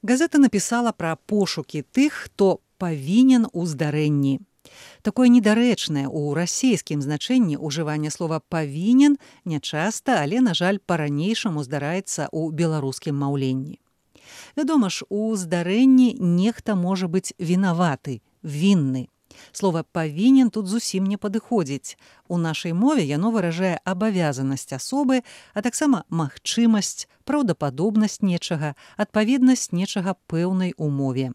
Газета напісала пра пошукі тых, хто павінен у здарэнні. Такое недарэчнае ў расійскім значэнні ўжыванне слова «павінен» нячаста, але, на жаль, па-ранейшаму здараецца ў беларускім маўленні. Вядома ж, у здарэнні нехта можа быць вінаваты, вінны. Слова «павінен» тут зусім не падыходзіць. У нашай мове яно выражае абавязанасць асобы, а таксама магчымасць, праўдападобнасць нечага, адпаведнасць нечага пэўнай умове.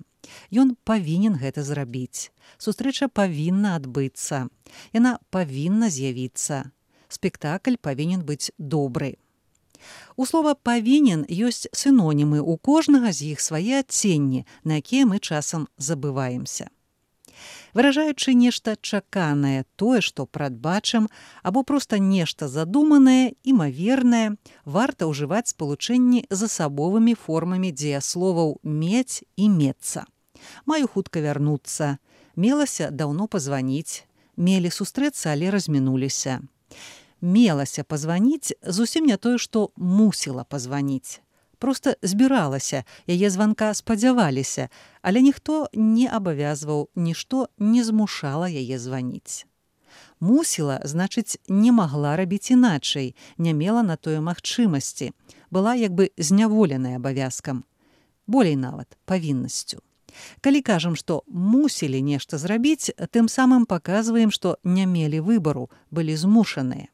Ён павінен гэта зрабіць. Сустрэча павінна адбыцца. Яна павінна з'явіцца. Спектакль павінен быць добры. У слова «павінен» ёсць сінонімы, у кожнага з іх свае адценні, на якія мы часам забываемся. Выражаючы нешта чаканае, тое, што прадбачым, або проста нешта задуманае, імавернае, варта ўжываць спалучэнні з асабовымі формамі дзеясловаў «мець» і «мецца». Маю хутка вярнуцца. Мелася даўно пазваніць. Мелі сустрэцца, але размінуліся. Мелася пазваніць зусім не тое, што мусіла пазваніць. Проста збіралася, яе званка спадзяваліся, але ніхто не абавязваў, нішто не змушала яе званіць. Мусіла, значыць, не магла рабіць іначай, не мела на тое магчымасці, была як бы зняволеная абавязкам, болей нават павіннасцю. Калі кажам, што мусілі нешта зрабіць, тым самым паказваем, што не мелі выбару, былі змушаныя.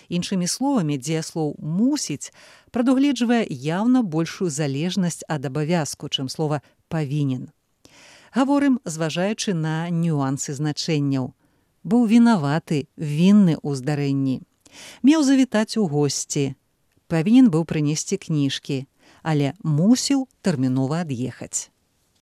Іншымі словамі, дзеяслоў «мусіць» прадугледжвае яўна большую залежнасць ад абавязку, чым слова «павінен». Гаворым, зважаючы на нюансы значэнняў. Быў вінаваты, вінны ў здарэнні. Меў завітаць у госці. Павінен быў прынесці кніжкі, але мусіў тэрмінова ад'ехаць.